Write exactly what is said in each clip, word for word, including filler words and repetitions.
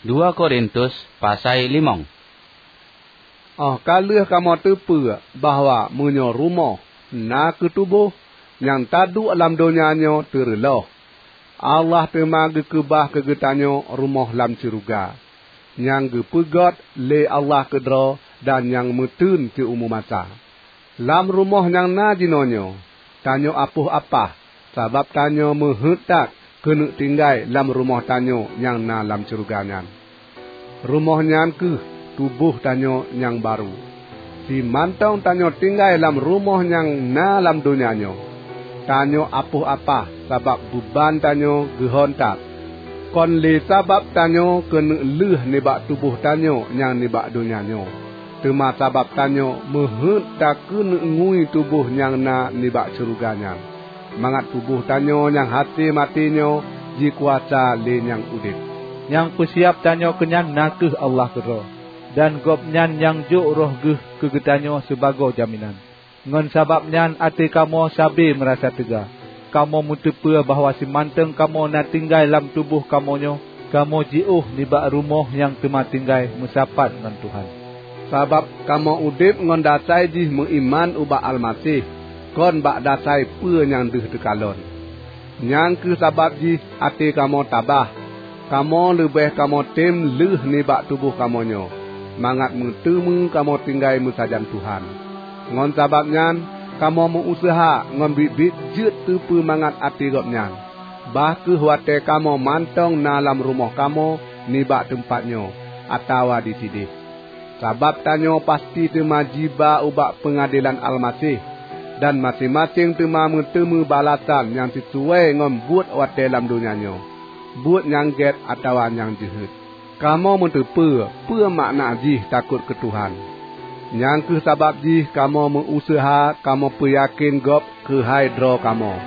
Dua Korintus pasai limong. Óh ka lheueh kamoe teupeue bahwa meunyoe rumoh na keu tuboh, nyang taduek lam donya nyoe teureuloh, Allah teuma geukeubah keu geutanyoe rumoh lam syeuruga, nyang geupeugét lé Allah keudroe dan nyang meuteun siumu masa. Lam rumoh nyang na jinoenyoe, tanyoe apoh apah, sabab tanyoe meuheuét that keuneuk tinggai lam rumoh tanyoe nyang na lam syeuruga nyan. Rumoh nyan kheueh tuboh tanyoe nyang barô. Simantong tanyoe tinggai lam rumoh nyang na lam donya nyoe, tanyoe apoh apah sabab beuban tanyoe geuhon that. Kon lé sabab tanyoe keuneuk lheueh nibak tuboh tanyoe nyang nibak donya nyoe, teuma sabab tanyoe meuheuét takeuneuk ngui tuboh nyang na nibak syeuruga nyan, mangat tuboh tanyoe nyang hase maté nyoe jikuasa lé nyang udeb. Nyang peusiab tanyoe keunyan na kheueh Allah keudroe, dan Gobnyan nyang jok Roh Geuh keu geutanyoe sibagoe jaminan. Ngon sabab nyan até kamoe sabe meurasa teuga. Kamoe meuteupeue bahwa simantong kamoe na tinggai lam tuboh kamoe nyoe, kamoe jiôh nibak rumoh nyang teuma tinggai meusapat ngon Tuhan. Sabab kamoe udeb ngon dasai jih meuiman ubak Almaseh, kon bak dasai peue nyang deuh teukalon. Nyang kheueh sabab jih até kamoe tabah. Kamoe leubeh kamoe tem lheueh nibak tuboh kamoe nyoe, mangat meuteumé kamoe tinggai meusajan Tuhan. Ngon sabab nyan, kamoe meu-useuha ngon biet-biet jeuet teupeumangat até Gobnyan, bah kheueh watée kamoe mantong na lam rumoh kamoe nibak teumpat nyoe atawa disideh. Sabab tanyoe pasti teuma jiba ubak peungadelan Almaseh, dan maséng-maséng teuma meuteumé balasan nyang sisuai ngon buet watée lam donya nyoe, buet nyang gét atawa nyang jeuhet. Kamoe meuteupeue peue makna jih takot keu Tuhan. Nyang kheueh sabab jih kamoe meu-useuha kamoe peuyakén Gob keuhai droe kamoe.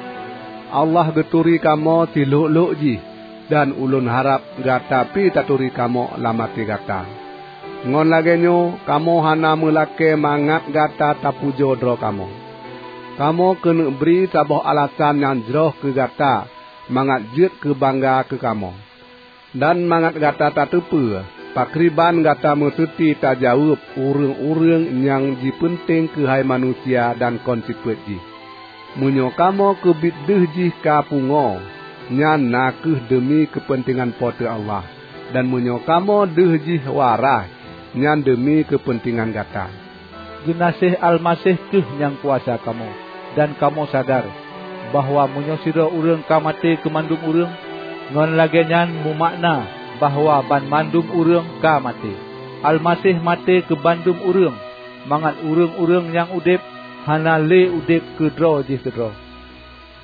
Allah geuturi kamoe silhok-lhok jih, dan ulôn harab gata pi taturi kamoe lam até gata. Ngon lagée nyoe kamoe hana meulakée mangat gata tapujoe droe kamoe. Kamoe keuneuk bri saboh alasan nyang jroh keu gata mangat jeuet keu bangga keu kamoe. Dan mangat gata tateupeue pakriban gata meuseuti tajaweueb ureuëng-ureuëng nyang jipeunteng keuhai manusia dan kon sifeuet jih. Meunyoe kamoe keubiet deuh jih ka pungoe, nyan na kheueh deumi keupeuntengan Po teu Allah, dan meunyoe kamoe deuh jih waraih, nyan deumi keupeuntengan gata. Geunaséh Almaseh kheueh nyang kuasa kamoe, dan kamoe sadar bahwa meunyoe sidroe ureuëng ka maté keu mandum ureuëng, ngon lagée nyan mumakna bahwa banmandum ureuëng ka maté. Almaseh maté keu bandum ureuëng, mangat ureuëng-ureuëng nyang udeb hana lé udeb keu droe jih keudroe,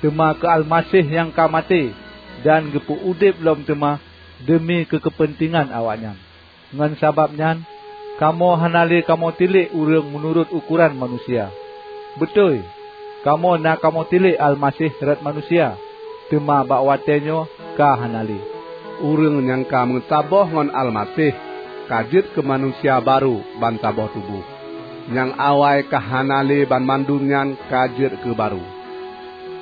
teuma keu Almaseh nyang ka maté dan geupeu udeb lom teuma deumi keu keupeuntengan awaknyan. Ngon sabab nyan, kamoe hana lé kamoe tilék ureuëng meunurot ukoran manusia. Beutôi, kamoe na kamoe tilék Almaseh rot manusia, teuma bak watée nyoe ka hana lé. Ureuëng nyang ka meusaboh ngon Almaseh ka jeuet keu manusia barô bansaboh tuboh. Nyang awai ka hana lé banmandum nyan ka jeuet keu barô.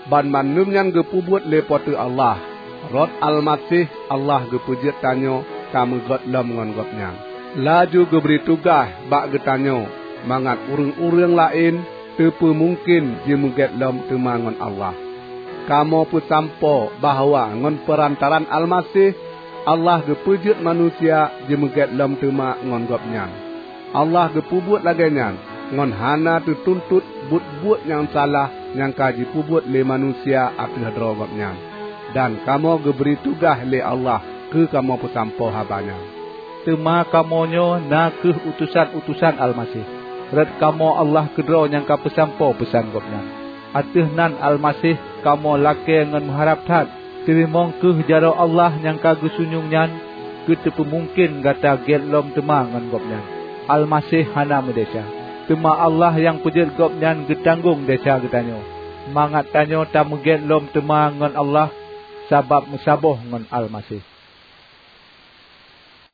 Banmandum nyan geupeubuet lé Po teu Allah. Rot Almaseh Allah geupeujeuet tanyoe tameugét lom ngon Gobnyan, laju geubri tugaih bak geutanyoe mangat ureuëng-ureuëng laén teupeumungken jimeugét lom teuma ngon Allah. Kamoe peusampoe bahwa ngon peurantaraan Almaseh, Allah geupeujeuet manusia jimeugét lom teuma ngon Gobnyan. Allah geupeubuet lagée nyan ngon hana teutuntot buet-buet nyang salah nyang ka jipeubuet lé manusia ateueh droe Gobnyan, dan kamoe geubri tugaih lé Allah keu kamoe peusampoe haba nyan. Teuma kamoe nyoe na kheueh utosan-utosan Almaseh, rot kamoe Allah keudroe nyang ka peusampoe peusan Gobnyan. Ateueh nan Almaseh kamoe lakée ngon meuharab that, teurimong kheueh jaroe Allah nyang ka geusunyueng nyan geuteupeumungken gata gét lom teuma ngon Gobnyan. Almaseh hana meudesya, teuma Allah nyang peujeuet Gobnyan geutanggong desya geutanyoe, mangat tanyoe tameugét lom teuma ngon Allah sabab meusaboh ngon Almaseh.